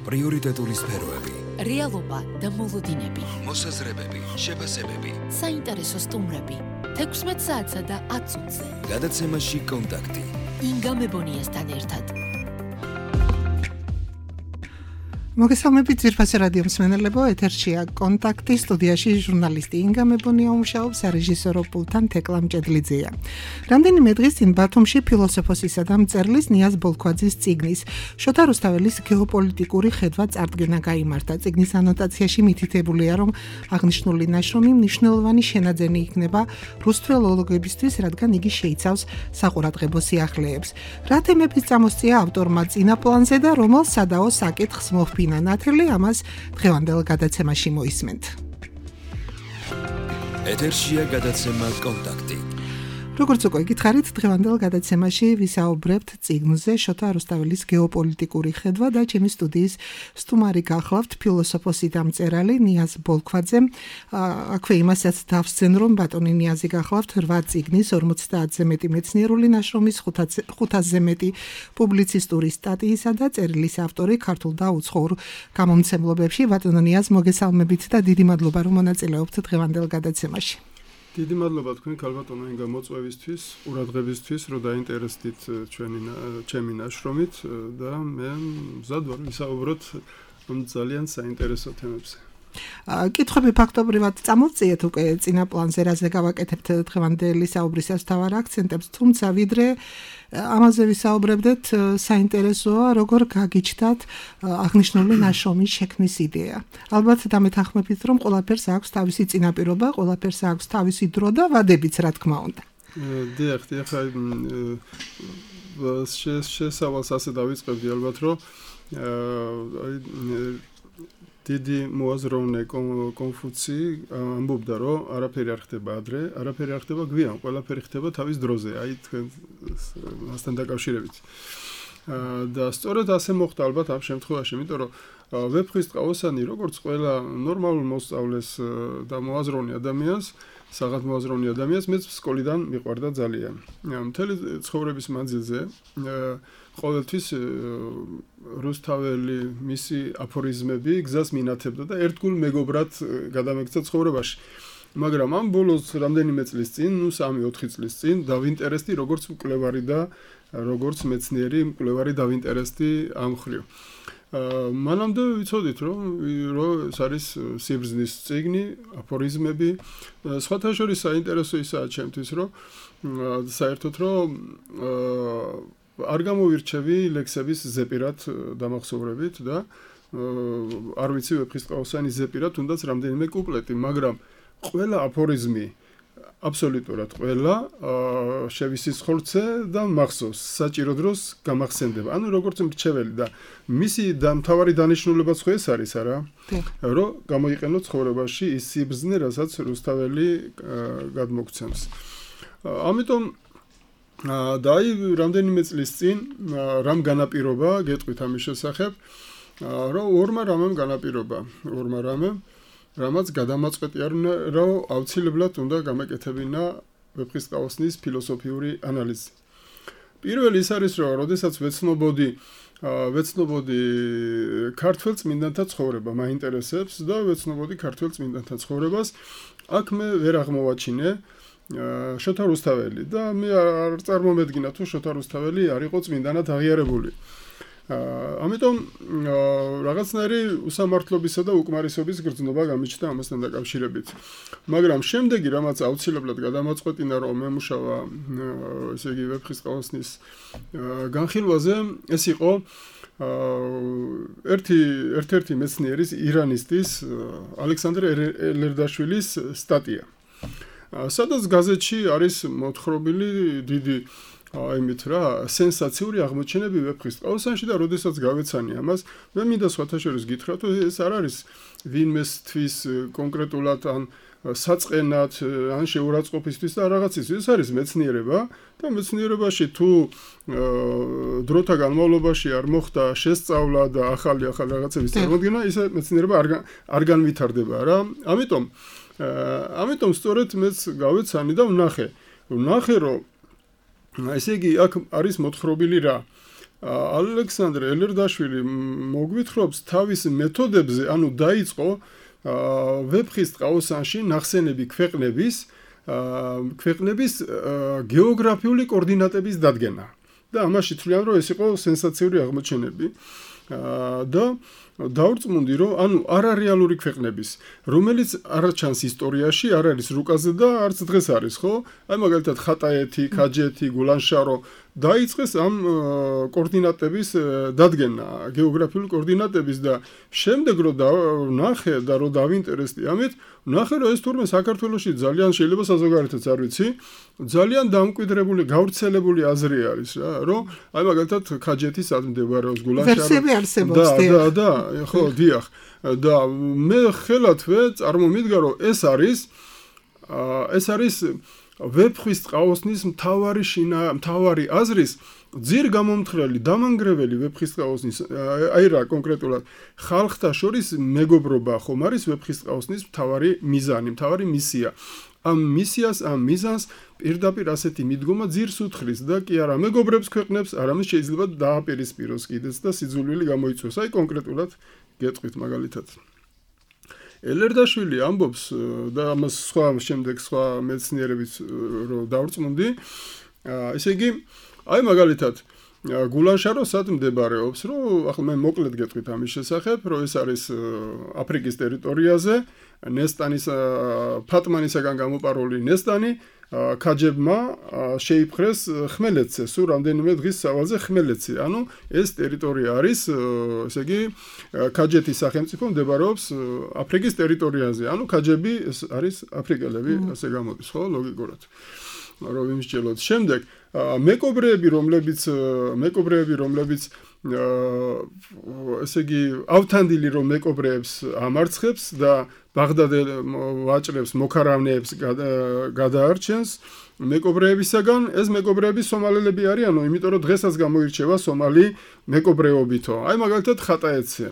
პრიორიტეტული სფეროები, რეალობა და მოლოდინები, მოსაზრებები, შეფასებები, საინტერესო სტუმრები, 16 საათსა და 10 წუთზე. გადაცემაში კონტაქტი. ინგა მებონიასთან ერთად. მოგესალმებით ძირფასი რადიო მსმენელებო, ეთერშია კონტაქტი, სტუდიაში ჟურნალისტი ინგა მებონია უმუშაობს, რეჟისორო პულტთან თეკლა მჭედლიძეა. რამდენიმე დღის წინ ბათუმში ფილოსოფოსისა და მწერლის ნიაზ ბოლქვაძის წიგნის შოთა რუსთაველის გეოპოლიტიკური ხედვა წარდგენა გაიმართა. წიგნის ანოტაციაში მითითებულია, რომ აღნიშნული ნაშრომი მნიშვნელოვანი შენაძენი იქნება რუსთველოლოგებისთვის, რადგან იგი შეიცავს საყურადღებო სიახლეებს. რა თემების წამოსწია ავტორმა წინა პლანზე და რომელ სადაო საკითხს მოჰფინა ნათელი, ამას დღევანდელ გადაცემაში მოისმენთ. ეთერშია გადაცემა კონტაქტი. როგორც უკვე გითხარით, დღევანდელ გადაცემაში ვისაუბრებთ წიგნზე შოთა რუსთაველის გეოპოლიტიკური ხედვა და ჩემი სტუდიის სტუმარი გახლავთ ფილოსოფოსი და მწერალი ნიაზ ბოლქვაძე. აქვე იმასაც დავსცენ, რომ ბატონი ნიაზი გახლავთ 8 წიგნის, 50-ზე მეტი მეცნიერული ნაშრომის, 500-ზე მეტი პუბლიცისტური სტატიისა და წერილის ავტორი ქართულ და უცხოურ გამომცემლობებში. ბატონო ნიაზ, მოგესალმებით და დიდი მადლობა, რომ მონაწილეობთ დღევანდელ გადაცემაში. დიდი მადლობა თქვენ ქალბატონო ინგა მოწვევისთვის, ყურადღებისთვის, რომ დაინტერესდით ჩემი ნაშრომით და მე მზად ვარ ვისაუბროთ ძალიან საინტერესო თემებზე. კითხვები ფაქტობრივად წამოვწიეთ უკვე წინა პლანზე, რაზე გავაკეთებთ დღევანდელი საუბრისას თავარ აქცენტებს, თუმცა ვიდრე ამაზე ვისაუბრებდეთ, საინტერესოა როგორ გაგიჩნდათ აღნიშნული ნაშრომის შექმნის იდეა. ალბათ დამეთანხმებით, რომ ყველაფერს აქვს თავისი წინაპირობა, ყველაფერს აქვს თავისი დრო და ვადებიც, რა თქმა უნდა. დიახ, შესავალს ასე დავიწყებდი, ალბათ რომ დიდი მოაზროვნე კონფუცი ამბობდა, რომ არაფერი არ ხდება ადრე, არაფერი არ ხდება გვიან, ყველაფერი ხდება თავის დროზე, აი თქვენ მასთან დაკავშირებით. და სწორედ ასე მოხდა ალბათ ამ შემთხვევაში, იმიტომ რომ ვეფხვის ტყავოსანი, როგორც ყველა ნორმალურ მოსწავლეს და მოაზროვნე ადამიანს, საღად მოაზროვნე ადამიანს, მეც სკოლიდან მიყვარდა ძალიან. მთელი ცხოვრების მანძილზე ყოველთვის რუსთაველი მისი აფორიზმები გზას მინათებდა და ერთგულ მეგობრად გადამექცა ცხოვრებაში. მაგრამ ამ ბოლოს რამდენიმე წლის წინ, 3-4 წლის წინ დავინტერესდი როგორც მკვლევარი და როგორც მეცნიერი მკვლევარი დავინტერესდი ამ მხრივ. მანამდე ვიცოდით, რომ ეს არის სიბრძნის წიგნი, აფორიზმები. სხვათა შორის საინტერესო ისაა ჩემთვის, რომ საერთოდ რომ არ გამოვირჩევი ლექსების ზეპირად დამახსოვრებით და არ ვიცი ვეფხვის ტყავოსანის ზეპირად თუნდაც რამდენიმე კუპლეტი, მაგრამ ყველა აფორიზმი, აბსოლუტურად ყველა შევისისხლცე და მახსოვს, საჭირო დროს გამახსენდება. ანუ როგორც მრჩეველი და მისი მთავარი დანიშნულებაც ხო ეს არის, არა? რომ გამოიყენოთ ცხოვრებაში ის სიბრძნე, რასაც რუსთაველი გადმოგცემს. ამიტომ და აი რამდენიმე წლის წინ რამ განაპირობა, გეტყვით ამის შესახებ, რომ ორმა რამემ განაპირობა, რამაც გადამაწყვეტია, რომ აუცილებლად უნდა გამეკეთებინა ვეფხვის ტყავოსნის ფილოსოფიური ანალიზი. პირველი ის არის, რომ როდესაც ვეცნობოდი ქართველ წმინდანთა ცხოვრება, მაინტერესებს და ვეცნობოდი ქართველ წმინდანთა ცხოვრებას, აქ მე ვერ აღმოვაჩინე შოთა რუსთაველი და მე არ წარმომედგინა თუ შოთა რუსთაველი არ იყო წმინდანად აღიარებული. ამიტომ რაღაცნაირი უსამართლობისა და უკმარისობის გრძნობა გამიჩნდა ამასთან დაკავშირებით. მაგრამ შემდეგი რამაც აუცილებლად გადამაწყვეტინა, რომ მემუშავა ესე იგი ვეფხვის ტყავოსნის განხილვაზე, ეს იყო ერთ-ერთი მეცნიერის, ირანისტის, ალექსანდრე ელერდაშვილის სტატია. სადაც გაზეთში არის მოთხრობილი დიდი იმით რა, სენსაციური აღმოჩენები ვეფხვის ტყავოსანში და როდესაც გავეცანი ამას, მე მინდა სხვათა შორის გითხრათ, რომ ეს არ არის ვინმესთვის კონკრეტულად ან საწყენად, ან შეურაცხყოფისთვის და რაღაცისთვის, ეს არის მეცნიერება და მეცნიერებაში თუ დროთა განმავლობაში არ მოხდა შესწავლა და ახალი რაღაცების წარმოდგენა, ის მეცნიერება არ განვითარდება რა. ამიტომ სწორედ მეც გავეცანი და ვნახე, რომ ესე იგი აქ არის მოთხრობილი რა. ალექსანდრე ელერდაშვილი მოგვითხრობს თავის მეთოდებზე, ანუ დაიწყო ვეფხის ტყაოსანში ნახსენები ქვეყნების გეოგრაფიული კოორდინატების დადგენა. და ამაში თვლიან, რომ ეს იყო სენსაციური აღმოჩენები. და დავრწმუნდი, რომ ანუ არარეალური ქვეყნების, რომელიც არ ჩანს ისტორიაში, არ არის რუკაზე და არც დღეს არის, ხო? აი მაგალითად ხატაეთი, ქაჯეთი, გულანშარო დაიწყეს ამ კოორდინატების დადგენა, გეოგრაფიული კოორდინატების და შემდეგ რომ ნახე და რომ დავინტერესდი ამით, ნახე რომ ეს თურმე საქართველოში ძალიან შეიძლება საზოგადოებაც არ ვიცი, ძალიან დამკვიდრებული, გავრცელებული აზრი არის რა, რომ აი მაგალითად ქაჯეთი სად მდებარეობს, გულანშარო ვერსიები არსებობს. და ხო, დიახ. და მე ხელათვე წარმომიდგა რომ ეს არის ვეფხვის ტყაოსნის მთავარი აზრის ძირ გამომთხრელი დამანგრეველი ვეფხის ტყაოსნის აი რა კონკრეტულად ხალხთა შორის მეგობრობა ხომ არის ვეფხის ტყაოსნის მთავარი მიზანი, მთავარი მისია. ამ მიზანს პირდაპირ ასეთი მიდგომა ძირს უთხრის და კი არა მეგობრებს ქვეყნებს, არამედ შეიძლება დააპირისპიროს კიდეც და სიძულვილი გამოიწვიოს. აი კონკრეტულად გეტყვით მაგალითად. ელერდაშვილი ამბობს და ამას შემდეგ სხვა მეცნიერებიც რო დავრწმუნდი, ესე იგი, აი მაგალითად გულანშარო სად მდებარეობს, რომ ახლა მე მოკლედ გეტყვით ამის შესახებ, რომ ეს არის აფრიკის ტერიტორიაზე, ნესტანის ფატმანისაგან გამოპარული ნესტანი ქაჯებმა შეიპყრეს ხმელეთზე, სულ რამდენიმე დღის სავალზე ხმელეთზე. ანუ ეს ტერიტორია არის, ესე იგი, ქაჯეთის სახელმწიფო მდებარეობს აფრიკის ტერიტორიაზე. ანუ ქაჯები არის აფრიკელები, ასე გამოდის, ხო, ლოგიკურად. რომ ვიმსჯელოთ. შემდეგ მეკობრეები, რომლებიც ესე იგი, ავთანდილი რომ მეკობრეებს ამარცხებს და ბაღდადე ვაჭრებს, მოქარავნეებს გადაარჩენს მეკობრეებისაგან, ეს მეკობრეები სომალელები არიანო, იმიტომ რომ დღესაც გამოირჩევა სომალი მეკობრეობითო. აი მაგალითად ხატაეთზე.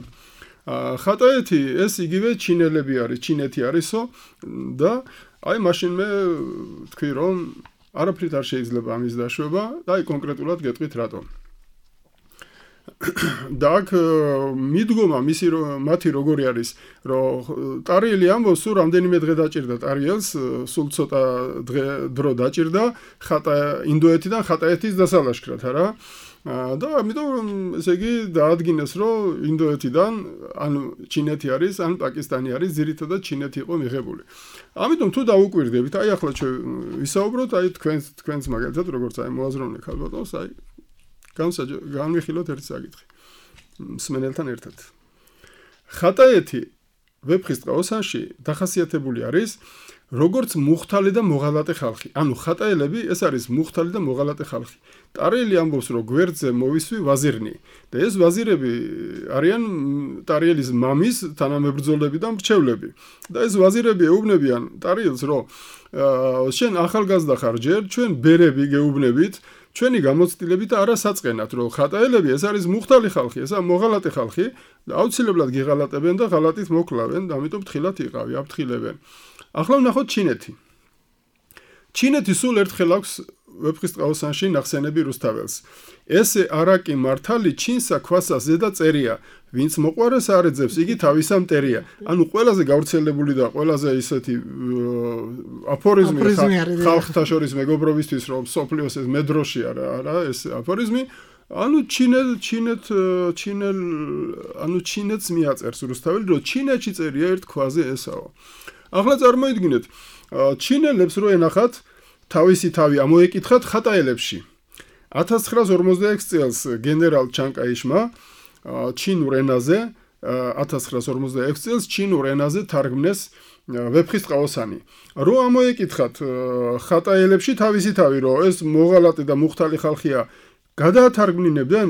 ხატაეთი ეს იგივე ჩინეთი არისო და აი მაშინ მე თქვი რომ არაფრით არ შეიძლება ამის დაშვება და აი კონკრეტულად გეტყვით რატომ. და აქ მიდგომა მათი როგორი არის, რომ ტარიელი ამბობს, სულ რამდენიმე დღე დაჭირდა ტარიელს, სულ ცოტა დრო დაჭირდა ინდოეთიდან ხატაეთის დასალაშქრად, არა? და ამიტომ ესე იგი დაადგინეს, რომ ინდოეთიდან ან ჩინეთი არის, ან პაკისტანი არის, ძირითადად ჩინეთი იყო მიღებული. ამიტომ თუ დაუკვირდებით, აი ახლა ჩვენ ვისაუბროთ, აი თქვენს მაგალითად როგორც აი მოაზროვნე ქალბატონს, აი განვიხილოთ ერთი საკითხი მსმენელთან ერთად. ხატაეთი ვეფხის ტყაოსანში დახასიათებული არის როგორც მუხთალი და მოღალატე ხალხი. ანუ ხატაელები ეს არის მუხთალი და მოღალატე ხალხი. ტარიელი ამბობს, რომ გვერდზე მოვისვი ვაზირნი და ეს ვაზირები არიან ტარიელის მამის თანამებრძოლები და მრჩევლები. და ეს ვაზირები ეუბნებიან ტარიელს, რომ შენ ახალგაზრდა ხარ ჯერ, ჩვენ ბერები გეუბნებით, ჩვენი გამოცდილებით არა საწყენად, რომ ხატაელები ეს არის მუხთალი ხალხი, ესა მოღალატე ხალხი და აუცილებლად გიღალატებენ და ღალატით მოკლავენ, ამიტომ თხილად იყავი, აფრთხილებენ. ახლა ვნახოთ ჩინეთი. ჩინეთი სულ ერთხელ აქვს ვეფხის ტყაოსანში ნახსენები რუსთაველს. ესე არაკი მართალი ჩინსა ქვასა ზედა წერია, ვინც მოყვარეს არეძებს, იგი თავისა მტერია. ანუ ყველაზე გავრცელებული და ყველაზე ისეთი აფორიზმი ხალხთა შორის მეგობრობისთვის, რომ სოფლიოს ეს მედროში არა ეს აფორიზმი, ანუ ჩინეთს მიაწერს რუსთაველი, რომ ჩინეთში წერია ერთ ქვაზე ესაო. ახლა წარმოიდგინეთ, ჩინელებს რო ენახათ თავისი თავი ამოეკითხათ ხატაელებში. 1946 წელს გენერალ ჩანკაიშმა ჩინურ ენაზე 1946 წელს ჩინურ ენაზე თარგმნეს ვეფხის ტყაოსანი. რო ამოეკითხათ ხატაელებში თავისი თავი, რომ ეს მოღალატე და მუხთალი ხალხია, გადაათარგმნინებდნენ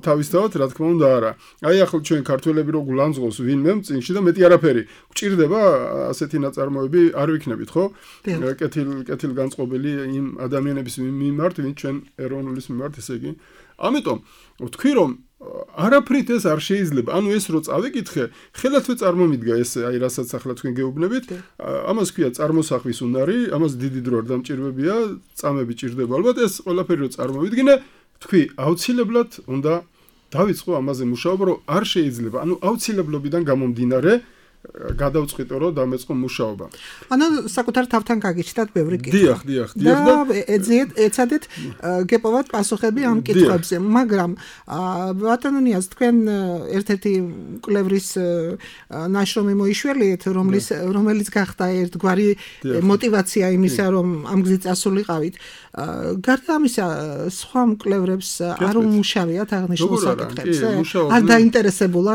თავისთავად, რა თქმა უნდა არა. აი ახლა ჩვენ ქართველები რო გულანძღოს ვინმე წინში და მეტი არაფერი. გვჭირდება ასეთი ნაწარმოები არ ვიქნებით, ხო? კეთილ განწყობილი იმ ადამიანების მიმართ, ვინც ჩვენ ეროვნულის მიმართ, ესე იგი. ამიტომ ვთქვი, რომ არაფრით ეს არ შეიძლება. ანუ ეს რო წავიკითხე, ხელათვე წარმომიდგა ეს, აი რასაც ახლა თქვენ გეუბნებით, ამას ქვია წარმოსახვის უნარი, ამას დიდი დრო არ დამჭირვებია, წამები ჭირდება ალბათ, ეს ყველაფერი რო წარმოვიდგინე, თქვი, აუცილებლად უნდა დავიწყო ამაზე მუშაობა, რომ არ შეიძლება, ანუ აუცილებლობიდან გამომდინარე გადავწყვიტო რომ დამეწყო მუშაობა. ანუ საკუთარ თავთან გაგიჩნდათ ბევრი კითხვა. დიახ და ეცადეთ გეპოვათ პასუხები ამ კითხვებზე, მაგრამ ბატონო ნიაზ, თქვენ ერთ-ერთი კვლევრის ნაშრომი მოიშველიეთ, რომელიც გახდა ერთგვარი мотиваცია იმისა, რომ ამ გზით წასულიყავით. გარდა ამისა, სხვა მკვლევრებს არ უმუშავიათ აღნიშნულ საკითხებზე? არ დაინტერესებულა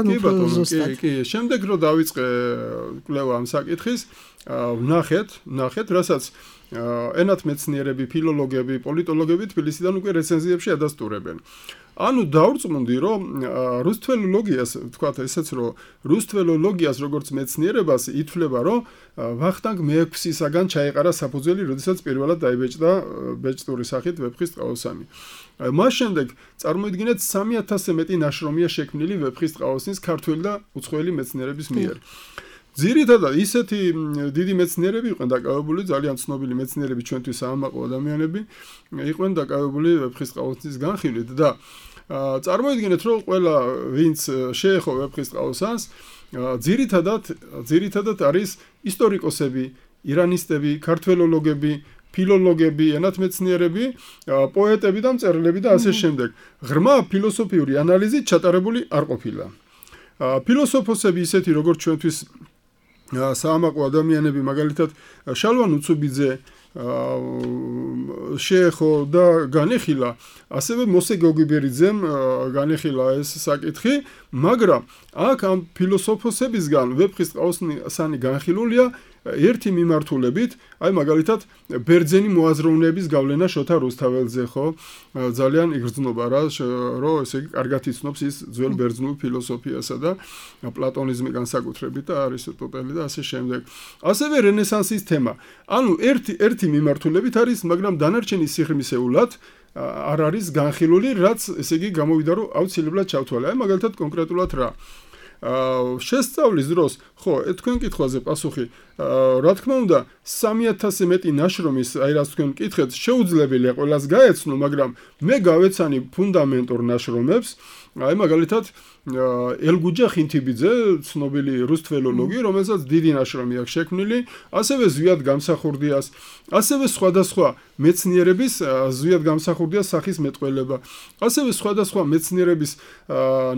ზუსტად? კი, შემდეგ რომ დავიწყე კვლევა ამ საკითხის, ვნახეთ, რასაც ენათმეცნიერები, ფილოლოგები, პოლიტოლოგები თბილისიდან უკვე რეცენზიებში ადასტურებენ. ანუ დავრწმუნდი, რომ რუსთველოლოგიას, ვთქვათ ესეც, რომ რუსთველოლოგიას როგორც მეცნიერებას ითვლება, რომ ვახტანგ მე-6-ისაგან ჩაეყარა საფუძველი, როდესაც პირველად დაიბეჭდა ბეჭდური სახით ვეფხის ტყაოსანი. მას შემდეგ წარმოიდგინეთ 3000-ზე მეტი ნაშრომია შექმნილი ვეფხის ტყაოსნის ქართველი და უცხოელი მეცნიერების მიერ. ძირითადად ისეთი დიდი მეცნიერები იყვნენ დაკავებული, ძალიან ცნობილი მეცნიერები ჩვენთვის საამაყო ადამიანები იყვნენ დაკავებული ვეფხის ტყაოსნის განხილვით და წარმოიდგინეთ, რომ ყველა ვინც შეეხო ვეფხის ტყაოსანს, ძირითადად არის ისტორიკოსები, ირანისტები, ქართველოლოგები, ფილოლოგები, ენათმეცნიერები, პოეტები და მწერლები და ასე შემდეგ. ღრმა ფილოსოფიური ანალიზით ჩატარებული არ ყოფილა. ფილოსოფოსები ისეთი როგორც ჩვენთვის საამაყო ადამიანები, მაგალითად შალვან უცუბიძე შეეხო და განეხილა, ასევე მოსე გოგიბერიძემ განეხილა ეს საკითხი, მაგრამ აქ ამ ფილოსოფოსებისგან ვეფხის ტყაოსანი განხილულია ერთი მიმართულებით, აი მაგალითად ბერძენი მოაზროვნეების გავლენა შოთა რუსთაველზე, ხო, ძალიან იგრძნობა რა, რომ ესე იგი კარგად იცნობს ის ძველ ბერძნულ ფილოსოფიასა და პლატონიზმი განსაკუთრებით და არისტოტელი და ასე შემდეგ. ასევე რენესანსის თემა. ანუ ერთი მიმართულებით არის, მაგრამ დანარჩენი სიღრმისეულად არ არის განხილული, რაც ესე იგი გამოვიდა, რომ აუცილებლად ჩავთვალე. აი მაგალითად კონკრეტულად რა შესწავლის დროს, ხო, თქვენ კითხვაზე პასუხი, რა თქმა უნდა, 3000-ზე მეტი ნაშრომის, აი რაც თქვენ კითხეთ, შეუძლებელია ყველას გაეცნო, მაგრამ მე გავეცანი ფუნდამენტურ ნაშრომებს, აი მაგალითად ელგუჯა ხინთიბიძე, ცნობილი რუსთველოლოგი, რომელსაც დიდი ნაშრომი აქვს შექმნილი, ასევე ზვიად გამსახურდიას, ასევე სხვადასხვა მეცნიერების ზვიად გამსახურდიას სახის მეტყველება, ასევე სხვადასხვა მეცნიერების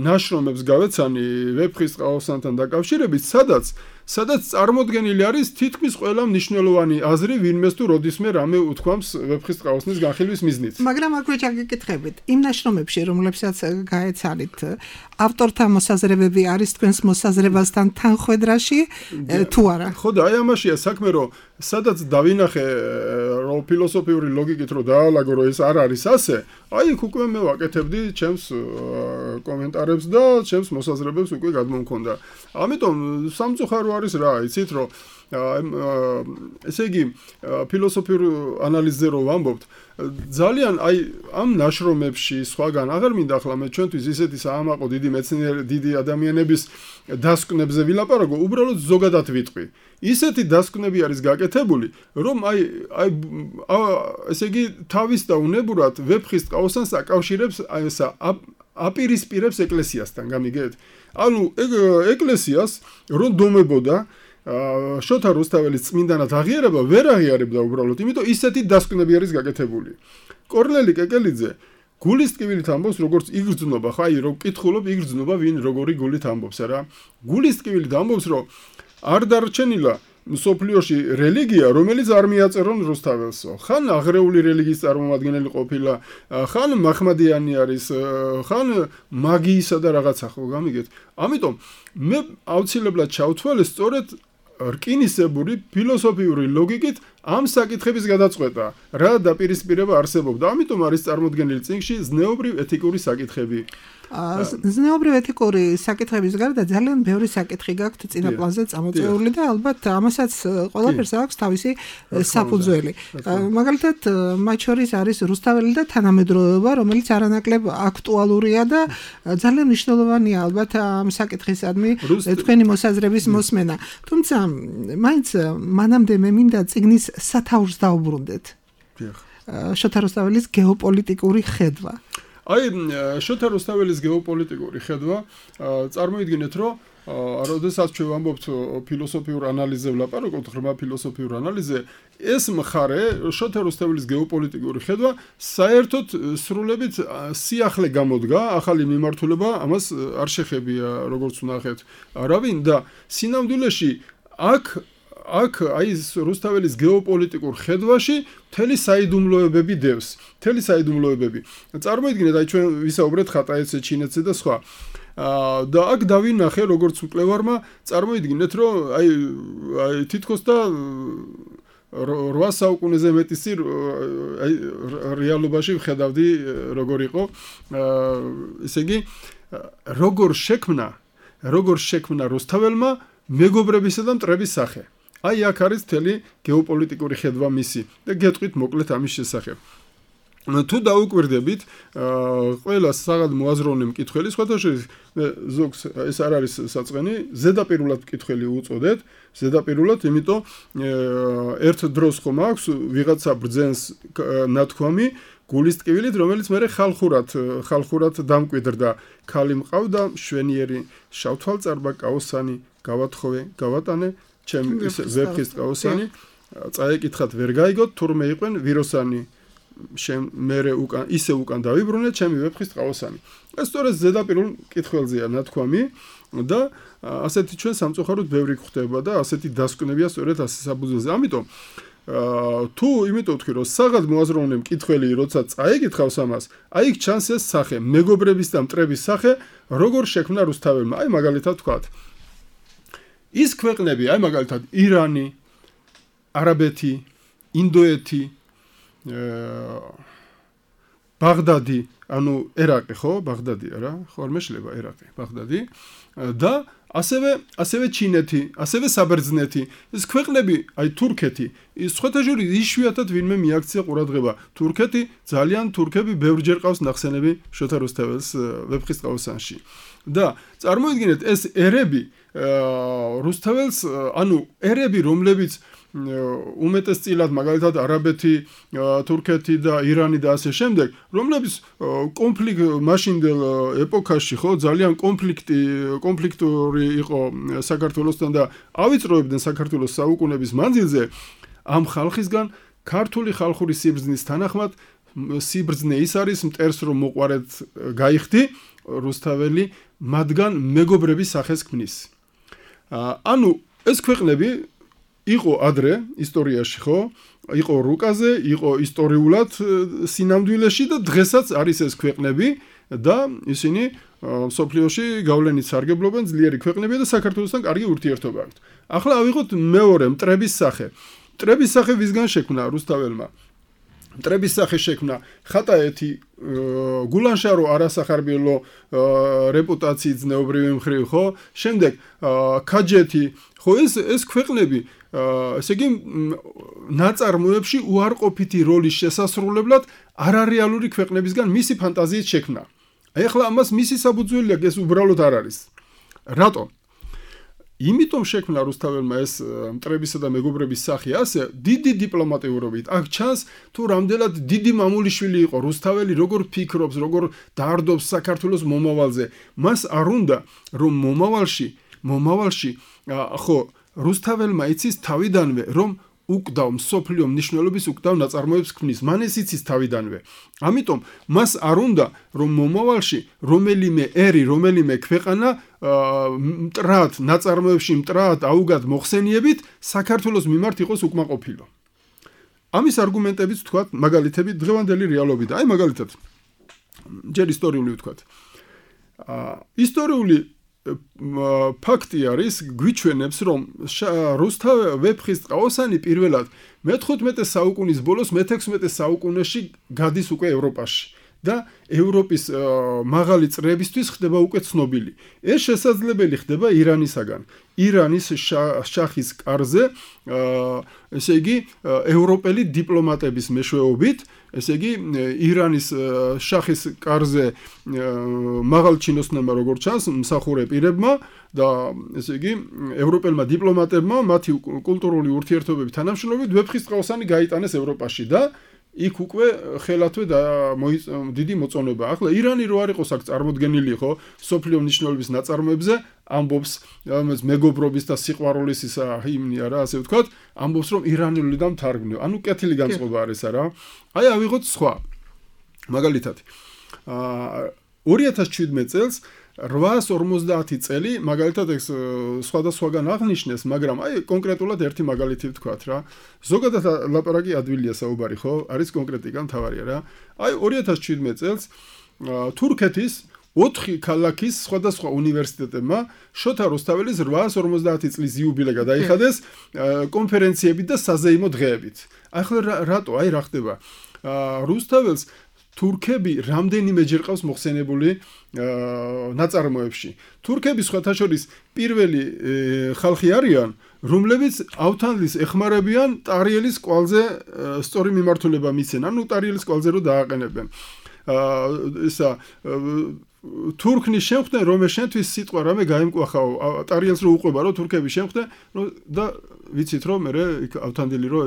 ნაშრომებს გავეცანი ვეფხის ტყაოსანთან დაკავშირებით, სადაც წარმოდგენილი არის თითქმის ყველა მნიშვნელოვანი აზრი, ვინმეს თუ როდისმე რამე უთქვამს ვეფხის ტყაოსნის განხილვის მიზნით. მაგრამ აქვე ჩაგეკითხებით, იმ ნაშრომებში, რომლებსაც გაეცალით, ავტორთა მოსაზრებები არის თქვენს მოსაზრებასთან თანხვედრაში თუ არა? ხო და აი ამაშია საქმე, რომ სადაც დავინახე რომ ფილოსოფიური ლოგიკით რომ დაალაგო რომ ეს არ არის ასე, აი იქ უკვე მე ვაკეთებდი ჩემს კომენტარებს და ჩემს მოსაზრებებს უკვე გადმომქონდა. ამიტომ სამწუხარო არის რა, იცით რომ ესე იგი ფილოსოფიურ ანალიზზე რომ ვამბობთ, ძალიან აი ამ ნაშრომებში სხვაგან აღარ მინდა ახლა მე ჩვენთვის ისეთი საამაყო დიდი მეცნიერი დიდი ადამიანების დასკვნებზე ვილაპარაკო, უბრალოდ ზოგადად ვიტყვი. ისეთი დასკვნები არის გაკეთებული, რომ აი ესე იგი თავის და უნებურად ვეფხის ტყაოსანს აკავშირებს აი ესა აპირისპირებს ეკლესიასთან, გამიგეთ? ანუ ეკლესიას რომ დომებოდა შოთა რუსთაველის წმინდანად აღიარება ვერ აღიარებდა უბრალოდ, იმიტომ ისეთი დასკვნები არის გაკეთებული. კორნელი კეკელიძე გულის ტკივილით ამბობს, როგორც იგრძნობა, ხო, აი რომ კითხულობ, იგრძნობა ვინ როგორი გულით ამბობს, რა. გულის ტკივილით ამბობს, რომ არ დარჩენილა მსოფლიოში რელიგია, რომელიც არ მიაწერონ რუსთაველსო. ხან აღრეული რელიგიის წარმომადგენელი ყოფილა, ხან მაჰმადიანი არის, ხან მაგიისა და რაღაცა, ხო, გამიგეთ? ამიტომ მე აუცილებლად ჩავთვალე სწორედ რკინისებური ფილოსოფიური ლოგიკით ამ საკითხების გადაწყვეტა, რა დაპირისპირება არსებობდა. ამიტომ არის წარმოდგენილი წიგნში ზნეობრივ ეთიკური საკითხები. ზნეობრივ ეთიკური საკითხების გარდა ძალიან ბევრი საკითხი გაქვთ წინა პლანზე წამოწეული და ალბათ ამასაც ყველაფერს აქვს თავისი საფუძველი. მაგალითად, მათ შორის არის რუსთაველი და თანამედროვეობა, რომელიც არანაკლებ აქტუალურია და ძალიან მნიშვნელოვანია ალბათ ამ საკითხისადმი თქვენი მოსაზრების მოსმენა. თუმცა, მაინც მანამდე მე მინდა წიგნის სათავს დავუბრუნდეთ. შოთა რუსთაველის გეოპოლიტიკური ხედვა. აი შოთა რუსთაველის გეოპოლიტიკური ხედვა წარმოიდგინეთ რომ როდესაც ჩვენ ვამბობთ ფილოსოფიურ ანალიზზე ვლაპარაკობთ, ღრმა ფილოსოფიურ ანალიზზე, ეს მხარე შოთა რუსთაველის გეოპოლიტიკური ხედვა საერთოდ სრულებით სიახლე გამოდგა, ახალი მიმართულება ამას არ შეხებია, როგორც ვნახეთ. რავინ და სინამდვილეში აქ აი რუსთაველის გეოპოლიტიკურ ხედვაში მთელი საიდუმლოებები დევს. მთელი საიდუმლოებები. წარმოიდგინეთ, აი ჩვენ ვისაუბრეთ ხატაეცზე, ჩინეთზე და სხვა. და აქ დავინახე როგორც მკვლევარმა, წარმოიდგინეთ, რომ აი თითქოს და 8 საუკუნეზე მეტის წინ აი რეალობაში ვხედავდი როგორ იყო. ესე იგი, როგორ შექმნა რუსთაველმა მეგობრებისა და მტრების სახე. აი აქ არის მთელი გეოპოლიტიკური ხედვა მისი და გეტყვით მოკლედ ამის შესახებ. თუ დაუკვირდებით ყველა საღად მოაზროვნე მკითხველი, სხვათა შორის ზოგს ეს არ არის საწყენი, ზედაპირულად მკითხველი უწოდეთ, ზედაპირულად, იმიტომ ერთ დროს ხომ აქვს ვიღაცა ბრძენს ნათქვამი გულის ტკივილით, რომელიც მე ხალხურად დამკვიდრდა. ქალი მყავდა, მშვენიერი, შავთვალწარბა, კაოსანი, გავათხოვე, გავატანე, ჩემი ვეფხის კაოსანი, წაეკითხათ ვერ გაიგოთ, თურმე იყვენ ვიროსანი. მე ისე უკან დავიბრუნე ჩემი ვეფხის ყავოსანი. ეს სწორედ ზედაპირულ მკითხველზეა ნათქვამი და ასეთი ჩვენ სამწუხაროდ ბევრი გვხდება და ასეთი დასკვნებია სწორედ ასე საბუძველზე. ამიტომ იმიტომ ვთქვი, რომ საღად მოაზროვნე მკითხველი როცა წაეკითხავს ამას, აი იქ ჩანს ეს სახე, მეგობრების და მტრების სახე, როგორ შექმნა რუსთაველმა. აი მაგალითად ვთქვათ. ის ქვეყნები, აი მაგალითად ირანი, არაბეთი, ინდოეთი, ბაღდადი, ანუ ერაყი ხო? ბაღდადი არა, ხო არ მეშლება ერაყი, ბაღდადი და ასევე ჩინეთი, ასევე საბერძნეთი. ეს ქვეყნები, აი თურქეთი, სხვათა შორის იშვიათად ვინმე მიაქცია ყურადღება. თურქები ბევრჯერ ყავს ნახსენები შოთა რუსთაველის ვეფხის ყავოსანში. და წარმოიდგინეთ ეს ერები რუსთაველს, ანუ ერები, რომლებიც უმეტესწილად მაგალითად არაბეთი, თურქეთი და ირანი და ასე შემდეგ, რომლებიც მაშინდელ ეპოქაში ხო ძალიან კონფლიქტური იყო საქართველოსთან და ავიწროებდნენ საქართველოს საუკუნების მანძილზე, ამ ხალხისგან ქართული ხალხური სიბრძნის თანახმად სიბრძნე ის არის მტერს რომ მოყარეთ გაიხდი, რუსთაველი მათგან მეგობრების სახეს ქმნის. ანუ ეს ქვეყნები იყო ადრე ისტორიაში ხო? იყო რუკაზე, იყო ისტორიულად სინამდვილეში და დღესაც არის ეს ქვეყნები და ისინი სოფლიოში გავლენით სარგებლობენ, ძლიერი ქვეყნებია და საქართველოსთან კარგი ურთიერთობა აქვთ. ახლა ავიღოთ მეორე მტრების სახე. მტრების სახე ვისგან შექმნა რუსთაველმა? მტრების სახე შექმნა ხატაეთი, გულანშარო არასახარბიელო რეპუტაციით ზნეობრივი მხრივ ხო? შემდეგ ქაჯეთი, ხო ეს ქვეყნები ესე იგი ნაწარმოებში უარყოფითი როლის შესასრულებლად არარეალური ქვეყნებისგან მისი ფანტაზიით შექმნა. აი ახლა ამას მისი საბუძველი აქვს, ეს უბრალოდ არ არის. რატომ? იმიტომ შექმნა რუსთაველმა ეს მტრებისა და მეგობრების სახე ასე დიდი დიპლომატიურობით. აქ ჩანს თუ რამდენად დიდი მამულიშვილი იყო რუსთაველი, როგორ ფიქრობს, როგორ დაარდობს საქართველოს მომავალზე. მას არ უნდა რომ მომავალში ხო რუსთაველმა იცის თავიდანვე რომ უკდავ მსოფლიო მნიშვნელობის უკდავ ნაწარმოებს ქმნის. მან ეს იცის თავიდანვე. ამიტომ მას არ უნდა რომ მომავალში რომელიმე ერი, რომელიმე ქვეყანა მტრად ნაწარმოებში მტრად აუგად მოხსენიებით საქართველოს მიმართ იყოს უკმაყოფილო. ამის არგუმენტებიც ვთქვათ, მაგალითები დღევანდელი რეალობიდან. აი მაგალითად ჯერ ისტორიული ვთქვათ. ისტორიული ფაქტი არის, გვიჩვენებს, რომ რუსთაველი ვეფხის ყავოსანი პირველად მე-15 საუკუნის ბოლოს მე-16 საუკუნეში გადის უკვე ევროპაში და ევროპის მაღალი წრეებისთვის ხდება უკვე ცნობილი. ეს შესაძლებელი ხდება ირანისაგან. ირანის შახის კარზე, ესე იგი, ევროპელი დიპლომატების მეშვეობით, ესე იგი, ირანის შახის კარზე მაღალჩინოსნებმა როგორც ჩანს, მსახურე პირებმა და ესე იგი, ევროპელმა დიპლომატებმა მათი კულტურული ურთიერთობების თანამშრომლობით ვეფხისტყაოსანი გაიტანეს ევროპაში და იქ უკვე ხელათვე დიდი მოწონება. ახლა ირანი რო არ იყოს აქ წარმოდგენილი ხო, სოფლიო მნიშვნელობის ნაწარმოებზე ამბობს, რომელიც მეგობრობის და სიყვარულის ისა ჰიმნია რა, ასე ვთქვათ, ამბობს რომ ირანული და მთარგმნიო. ანუ კეთილი განწყობა არის არა. აი ავიღოთ სხვა. მაგალითად 2017 წელს 850 წელი, მაგალითად ეს სხვადასხვაგან აღნიშნეს, მაგრამ აი კონკრეტულად ერთი მაგალითი ვთქვათ რა. ზოგადად ლაპარაკი ადვილია საუბარი ხო? არის კონკრეტიკა მთავარია რა. აი 2017 წელს თურქეთის 4 ქალაქის სხვადასხვა უნივერსიტეტებმა შოთა რუსთაველის 850 წლის იუბილე გადაიხადეს კონფერენციებით და საზეიმო დღეებით. ახლა რატო? აი რა ხდება? რუსთაველს თურქები რამდენიმეჯერ ყავს მოხსენებული ნაწარმოებში. თურქები სხვათა შორის პირველი ხალხი არიან, რომლებიც ავთანდილს ეხმარებიან ტარიელის კვალზე სწორი მიმართულება მისცენ, ანუ ტარიელის კვალზე რო დააყენებენ. ისა თურქნის შემხდენ რომ შენთვის სიტყვა რამე გაიმკვახაო ტარიელს რო უყვება რომ თურქები შემხდენ და ვიცით რომ მე ავთანდილი რო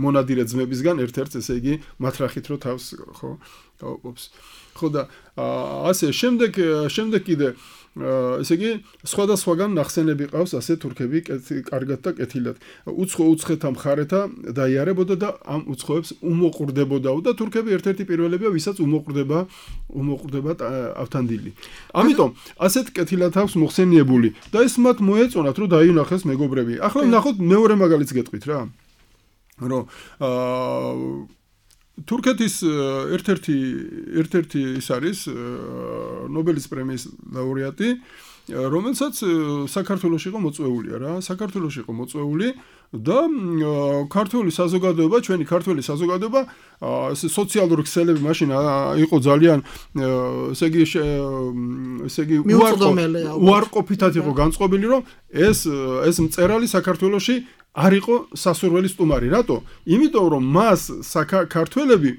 მონადირე ძმებისგან ერთ-ერთ ესე იგი მათრახით რო თავს ხო დაუყობს ხო და ასე შემდეგ კიდე ესე იგი სხვადასხვაგან ნახსენები ყავს ასე თურქები კარგად და კეთილად უცხოთა მხარეთა დაიარებოდა და ამ უცხოებს უმოყრდებოდაო და თურქები ერთ-ერთი პირველებია ვისაც უმოყრდება ავთანდილი ამიტომ ასეთ კეთილად აქვს მოხსენიებული და ეს მათ მოეწონათ რომ დაინახეს მეგობრები ახლა ნახოთ მეორე მაგალითს გეტყვით რა რომ თურქეთის ერთ-ერთი ის არის ნობელის პრემიის ლაურეატი, რომელსაც საქართველოში იყო მოწვეულია რა, საქართველოში იყო მოწვეული და ქართული საზოგადოება, ჩვენი ქართული საზოგადოება სოციალური ქსელები მაშინ იყო ძალიან ესე იგი უარყოფითად იყო განწყობილი რომ ეს მწერალი საქართველოში არ იყო სასურველი სტუმარი. რატო? იმიტომ რომ მას საქართველები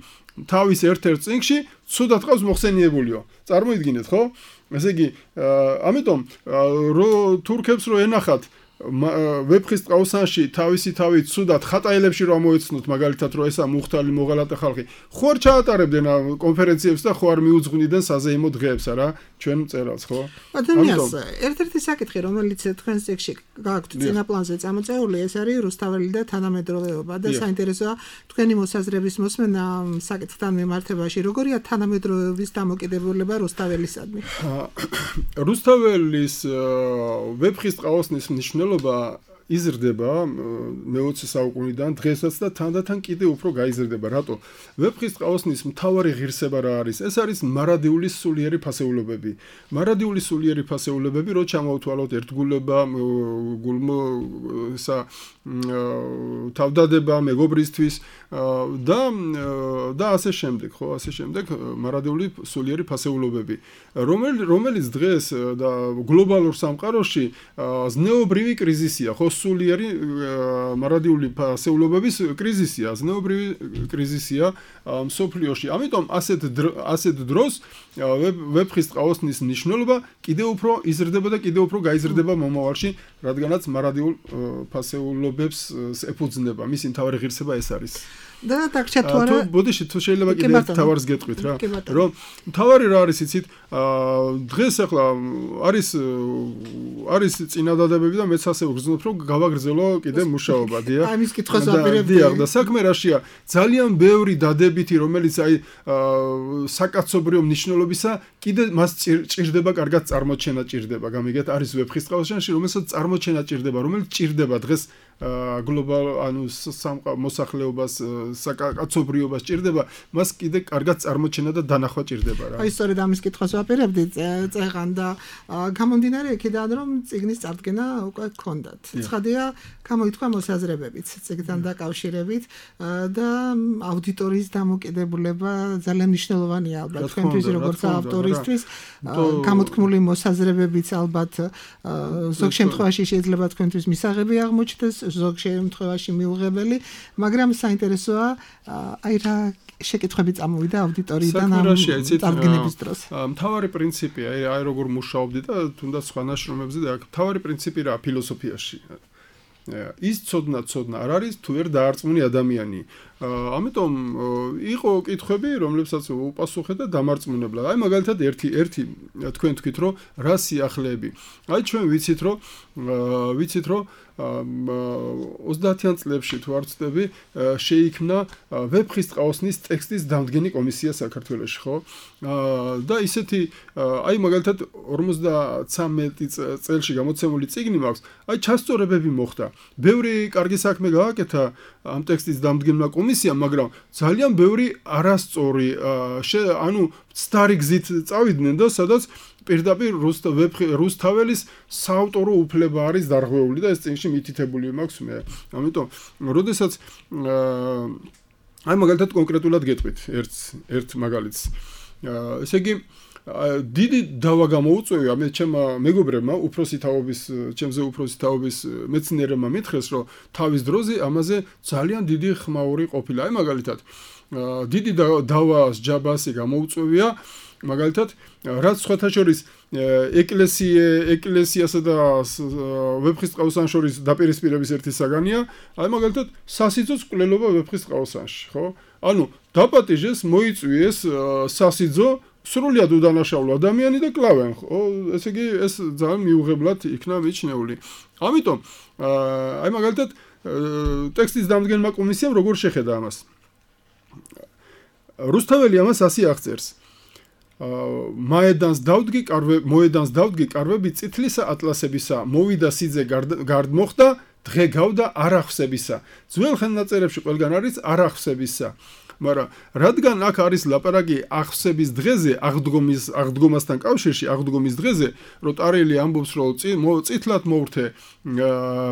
თავის ერთ-ერთ წიგნში ცუდად ყავს მოხსენიებულიო. წარმოიდგინეთ, ხო? ესე იგი, ამიტომ თურქებს რო ენახათ ვეფხის ტყავსანში თავისი თავით ცუდად ხატაილებში რომ მოეცნოთ მაგალითად რომ ესა მუხტალი მოღალატე ხალხი ხო არ ჩაატარებდნენ კონფერენციებს და ხო არ მიუძღვნიდნენ საზეიმო დღეებს არა ჩვენ მწერალს ხო ადამიანს ერთ-ერთი საკითხი რომელიც თქვენს წიგნში გააქვთ წინა პლანზე წამოწეული ეს არის რუსთაველი და თანამედროვეობა და საინტერესოა თქვენი მოსაზრების მოსმენა საკითხთან მიმართებაში როგორია თანამედროვეობის დამოკიდებულება რუსთაველისადმი რუსთაველის ვეფხის ტყავსნის მნიშვნელობა იზრდება მე-20 საუკუნიდან დღესაც და თანდათან კიდე უფრო გაიზრდება. რატო? ვეფხის ტყავსნის მთავარი ღირსება რა არის? ეს არის მარადიული სულიერი ფასეულობები. მარადიული სულიერი ფასეულობები, რო ჩამოვთვალოთ ერთგულება, თავდადება, მეგობრისთვის და ასე შემდეგ, ხო, ასე შემდეგ მარადიული სულიერი ფასეულობები, რომელიც დღეს და გლობალურ სამყაროში ზნეობრივი კრიზისია, ხო, სულიერი მარადიული ფასეულობების კრიზისია, ზნეობრივი კრიზისია მსოფლიოში. ამიტომ ასეთ დროს ვეფხის ტყავსნის მნიშვნელობა კიდევ უფრო იზრდება და კიდევ უფრო გაიზრდება მომავალში, რადგანაც მარადიულ ფასეულობებს ეფუძნება. მისი მთავარი ღირსება ეს არის. და დაგჭა თუ არა ბოდიში თუ შეიძლება კიდე თავარს გეტყვით რა რომ თავარი რა არის იცით დღეს ახლა არის წინადადებები და მეც ასე ვგრძნობ რომ გავაგრძელო კიდე მუშაობა დიახ ამის კითხვას ვაპირებდი და საქმე რაშია ძალიან ბევრი დადებითი რომელიც აი საკაცობრიო მნიშვნელობისა კიდე მას ჭირდება კარგად წარმოჩენა ჭირდება გამიგეთ არის ვეფხის ტყავსანში რომელსაც წარმოჩენა ჭირდება რომელიც ჭირდება დღეს გლობალ ანუ მოსახლეობას საკაცობრიობას ჭირდება მას კიდე კარგად წარმოჩენა და დანახვა ჭირდება რა. აი სწორედ ამის კითხვას ვაპირებდი წეღან და გამომდინარე იქიდან რომ წიგნის წარდგენა უკვე გქონდათ. ცხადია გამოითქვა მოსაზრებებიც წიგნთან დაკავშირებით და აუდიტორიის დამოკიდებულება ძალიან მნიშვნელოვანია ალბათ თქვენთვის როგორც ავტორისთვის გამოთქმული მოსაზრებებიც ალბათ ზოგ შემთხვევაში შეიძლება თქვენთვის მისაღები აღმოჩნდეს ზოგ შემთხვევაში მიუღებელი მაგრამ საინტერესოა აი რა შეკითხვები წამოვიდა აუდიტორიიდან ამ წარდგენების დროს. მთავარი პრინციპი აი როგორ მუშაობდი და თუნდაც სხვა ნაშრომებზე და მთავარი პრინციპი რა ფილოსოფიაში. ის ცოდნა არ არის თუ ვერ დაარწმუნი ადამიანი. ამიტომ იყო კითხვები, რომლებსაც უპასუხეთ და დამარწმუნებლად. აი მაგალითად ერთი თქვენ თქვით, რომ რა სიახლეები. აი ჩვენ ვიცით, რომ 30-იან წლებში თუ არ ვცდები, შეიქმნა ვეფხის ტყაოსნის ტექსტის დამდგენი კომისია საქართველოში, ხო? და ისეთი აი მაგალითად 53 წელში გამოცემული წიგნი მაქვს, აი ჩასწორებები მოხდა. ბევრი კარგი საქმე გააკეთა ამ ტექსტის დამდგენმა კომისიამ, მაგრამ ძალიან ბევრი არასწორი, ანუ ცდარი გზით წავიდნენ და სადაც პირდაპირ რუსთაველის საავტორო უფლება არის დარღვეული და ეს წიგნში მითითებული მაქვს მე. ამიტომ, როდესაც აი მაგალითად კონკრეტულად გეტყვით ერთ მაგალითს. ესე იგი დიდი დავა გამოუწვევია მე ჩემმა მეგობრებმა ჩემზე უფროსი თაობის მეცნიერებმა მითხრეს, რომ თავის დროზე ამაზე ძალიან დიდი ხმაური ყოფილა. აი მაგალითად დიდი დავას ჯაბასი გამოუწვევია მაგალითად რაც სხვათა შორის ეკლესიასა და ვეფხის ტყაოსან შორის დაპირისპირების ერთი საგანია, აი მაგალითად სასიძოს კვლელობა ვეფხის ტყაოსანში, ხო? ანუ დაპატიჟეს, მოიწვიეს სასიძო სრულიად უდანაშაულო ადამიანი და კლავენ, ხო? ესე იგი ეს ძალიან მიუღებლად იქნა მიჩნეული. ამიტომ აი მაგალითად ტექსტის დამდგენმა კომისიამ როგორ შეხედა ამას? რუსთაველი ამას ასე აღწერს. მოედანს დავდგი კარვები წითლისა ატლასებისა, მოვიდა სიძე გარდმოხდა, დღე გავდა არახსებისა. ძველ ხელნაწერებში ყველგან არის არახსებისა. მაგრამ რადგან აქ არის ლაპარაკი აღსების დღეზე, აღდგომასთან კავშირში, აღდგომის დღეზე, რომ ტარელი ამბობს, რომ წითლად მოვრთე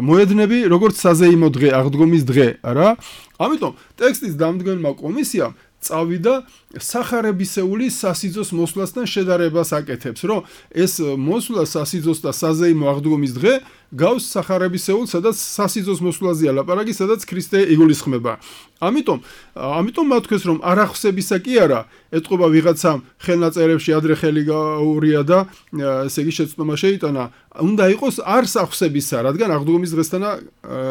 მოედნები, როგორც საზეიმო დღე, აღდგომის დღე, რა? ამიტომ ტექსტის დამდგენმა კომისიამ წავიდა სახარებისეული სასიძოს მოსვლასთან შედარებას აკეთებს, რომ ეს მოსვლა სასიძოს და საზეიმო აღდგომის დღე გავს სახარებისეულ, სადაც სასიძოს მოსვლაზეა ლაპარაკი, სადაც ქრისტე იგულისხმება. ამიტომ მათ თქვეს, რომ არახსებისა კი არა, ეთყობა ვიღაცამ ხელნაწერებში ადრე ხელი გაურია და ესე იგი შეცდომა შეიტანა, უნდა იყოს არს ახსებისა, რადგან აღდგომის დღესთანა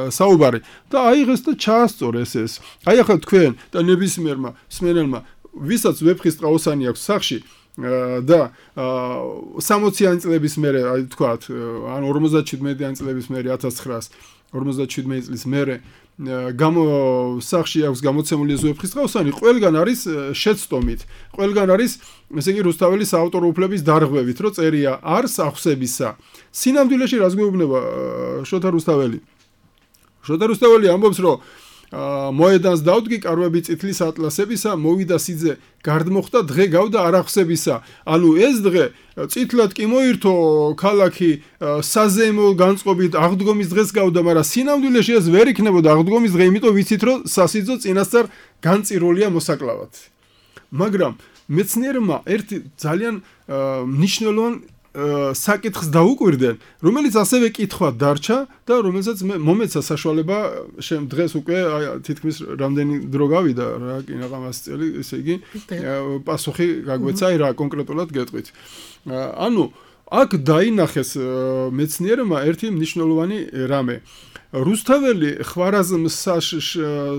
საუბარი. და აიღეს და ჩაასწორეს ეს. აი ახლა თქვენ და ნებისმიერმა მსმენელმა ვისაც ვეფხის ტყაოსანი აქვს სახში და 60-იანი წლების მერე, აი თქვათ, ან 57-იანი წლების მერე 1957 წლის მერე სახში აქვს გამოცემული ეს ვეფხის ტყაოსანი, ყველგან არის შეცდომით, ყველგან არის ესე იგი რუსთაველის საავტორო უფლების დარღვევით, რომ წერია არს ახსებისა. სინამდვილეში რას გვეუბნება შოთა რუსთაველი? შოთა რუსთაველი ამბობს, რომ მოედანს დავდგი კარვები წითლის ატლასებისა, მოვიდა სიძე გარდმოხდა, დღე გავდა არახსებისა. ანუ ეს დღე წითლად კი მოირთო ქალაქი საზეიმო განწყობით აღდგომის დღეს გავდა, მაგრამ სინამდვილეში ეს ვერ იქნებოდა აღდგომის დღე, იმიტომ ვიცით, რომ სასიძო წინასწარ განწირულია მოსაკლავად. მაგრამ მეცნიერებმა ერთი ძალიან მნიშვნელოვან საკითხს დაუკვირდნენ, რომელიც ასევე კითხვა დარჩა და რომელსაც მომეცა საშუალება დღეს უკვე თითქმის რამდენი დრო გავიდა რა, კინაღამას წელი, ესე იგი პასუხი გაგვეცა, აი რა კონკრეტულად გეტყვით. ანუ აქ დაინახეს მეცნიერებმა ერთი მნიშვნელოვანი რამე. რუსთაველი ხვარაზმ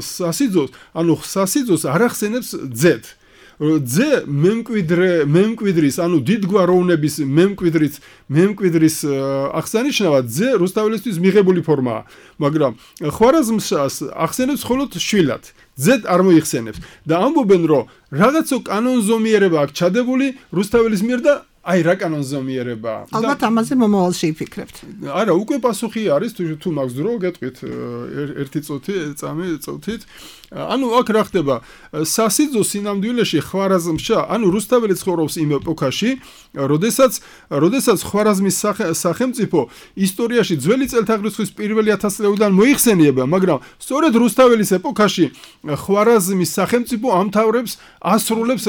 სასიძოს, ანუ სასიძოს არ ახსენებს ძედ. ძე მემკვიდრის, ანუ დიდგვაროვნების მემკვიდრის აღსანიშნავად ძე რუსთაველისთვის მიღებული ფორმაა, მაგრამ ხვარაზმშას ახსენებს მხოლოდ შვილად, ძედ არ მოიხსენებს და ამბობენ, რომ რაღაცო კანონზომიერება აქვს ჩადებული რუსთაველის მიერ და აი რა კანონზომიერებაა. ალბათ ამაზე მომავალში იფიქრებთ. არა, უკვე პასუხი არის, თუ მაქვს დრო, გეტყვით ერთი წუთით. ანუ აქ რა ხდება? სასიძო სინამდვილეში ხვარაზმშა, ანუ რუსთაველი ცხოვრობს იმ ეპოქაში, როდესაც ხვარაზმის სახელმწიფო ისტორიაში ძველი წელთაღრიცხვის პირველი 1000 წლიდან მოიხსენიება, მაგრამ სწორედ რუსთაველის ეპოქაში ხვარაზმის სახელმწიფო ამთავრებს ასრულებს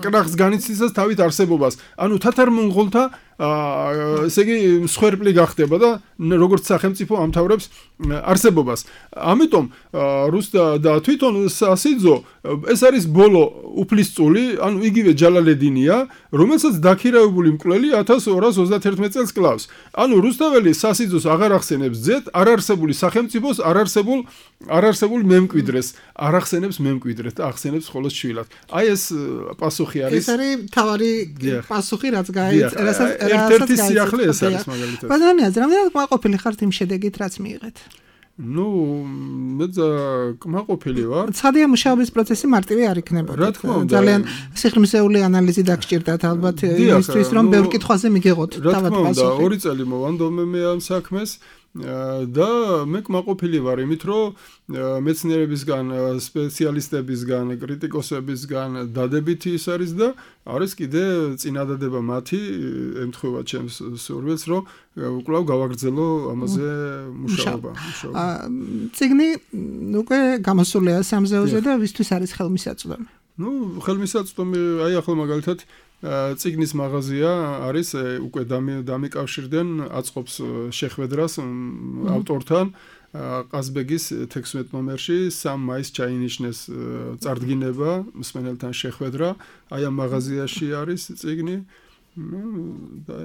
კრახს განიცდისას თავით არსებობას. ანუ თათარ-მონღოლთა ესე იგი მსხვერპლი გახდება და როგორც სახელმწიფო ამთავრებს არსებობას. ამიტომ რუსთა და თვითონ სასიძო ეს არის ბოლო უფლისწული, ანუ იგივე ჯალალედინია, რომელსაც დაქირავებული მკვლელი 1231 წელს კლავს. ანუ რუსთაველი სასიძოს აღარ ახსენებს ძეთ, არ არსებული სახელმწიფოს, არ არსებულ მემკვიდრეს, არ ახსენებს მემკვიდრეს და ახსენებს მხოლოდ შვილად. აი ეს პასუხი არის. ეს არის თავარი პასუხი, რაც გაიწერა, ერთ-ერთი სიახლე ეს არის მაგალითად. ბატონიას, რამდენად კმაყოფილი ხართ იმ შედეგით, რაც მიიღეთ? მე კმაყოფილი ვარ. ცხადია, მუშაობის პროცესი მარტივი არ იქნებოდა. რა თქმა უნდა. ძალიან სიხრმისეული ანალიზი დაგჭირდათ ალბათ იმისთვის, რომ ბევრ კითხვაზე მიგიღოთ თავად პასუხი. რა თქმა უნდა, 2 წელი მოვანდომე მე ამ საქმეს და მე კმაყოფილი ვარ იმით, რომ მეცნიერებისგან, სპეციალისტებისგან, კრიტიკოსებისგან დადებითი ის არის და არის კიდე წინადადება მათი ემთხვევა ჩემს სურვილს, რომ კვლავ გავაგრძელო ამაზე მუშაობა. წიგნი უკვე გამოსულია სამზეოზე და ვისთვის არის ხელმისაწვდომი? ხელმისაწვდომი, აი ახლა მაგალითად წიგნის მაღაზია არის უკვე დამიკავშირდნენ აწყობს შეხვედრას ავტორთან ყაზბეგის 16 ნომერში 3 მაისს ჩაინიშნეს წარდგინება მსმენელთან შეხვედრა აი ამ მაღაზიაში არის წიგნი და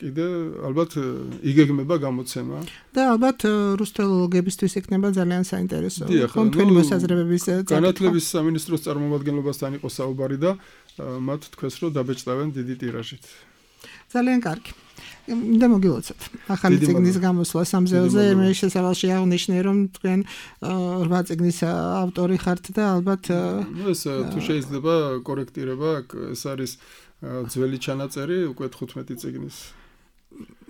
კიდე ალბათ იგეგმება გამოცემა და ალბათ რუსთველოლოგებისთვის იქნება ძალიან საინტერესო თქვენი მოსაზრებების განათლების სამინისტროს წარმომადგენლობასთან იყო საუბარი და მათ თქვეს რომ დაბეჭდავენ დიდი ტირაჟით. ძალიან კარგი. და მოგილოცოთ. ახალი წიგნის გამოსვლა სამზეოზე მე შესავალში აღნიშნე რომ თქვენ 8 წიგნის ავტორი ხართ და ალბათ ეს თუ შეიძლება კორექტირება ეს არის ძველი ჩანაწერი უკვე 15 წიგნის.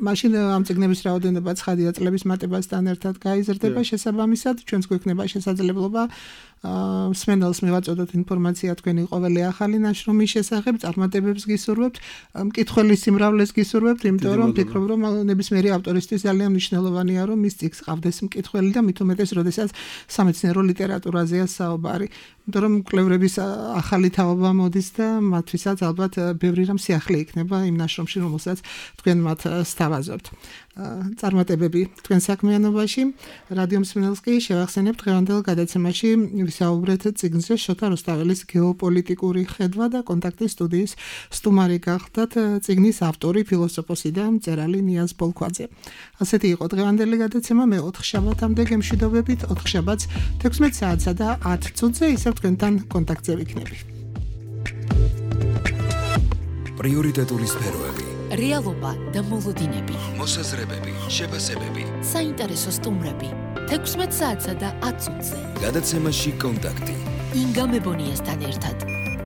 მაშინ ამ წიგნების რაოდენობა ცხადია წლების მატებასთან ერთად გაიზრდება შესაბამისად ჩვენს გვექნება შესაძლებლობა მსმენელს მივაწოდოთ ინფორმაცია თქვენი ყოველი ახალი ნაშრომის შესახებ, წარმატებებს გისურვებთ, მკითხველის სიმრავლეს გისურვებთ, იმიტომ რომ ფიქრობ რომ ნებისმიერი ავტორისთვის ძალიან მნიშვნელოვანია რომ მის წიგნს ყავდეს მკითხველი და მით უმეტეს როდესაც სამეცნიერო ლიტერატურაზეა საუბარი. იმიტომ რომ კვლევრების ახალი თაობა მოდის და მათთვისაც ალბათ ბევრი რამ სიახლე იქნება იმ ნაშრომში, რომელსაც თქვენ მათ სთავაზობთ. წარმატებები თქვენ საქმიანობაში. რადიო მსმენელს კი შევახსენებთ დღევანდელ გადაცემაში ვისაუბრეთ წიგნზე შოთა რუსთაველის გეოპოლიტიკური ხედვა და კონტაქტის სტუდიის სტუმარი გახდათ წიგნის ავტორი, ფილოსოფოსი და მწერალი ნიაზ ბოლქვაძე. ასეთი იყო დღევანდელი გადაცემა. მე 4 შაბათამდე გემშვიდობებით, 4 შაბათს 16 საათსა და 10 წუთზე ისევ თქვენთან კონტაქტზე ვიქნები. პრიორიტეტული სფეროები, რეალობა და მოლოდინები, მოსაზრებები, შეფასებები, საინტერესო სტუმრები 16 საათსა და 10 წუთზე. გადაცემაში კონტაქტი. ინგა მებონიასთან ერთად.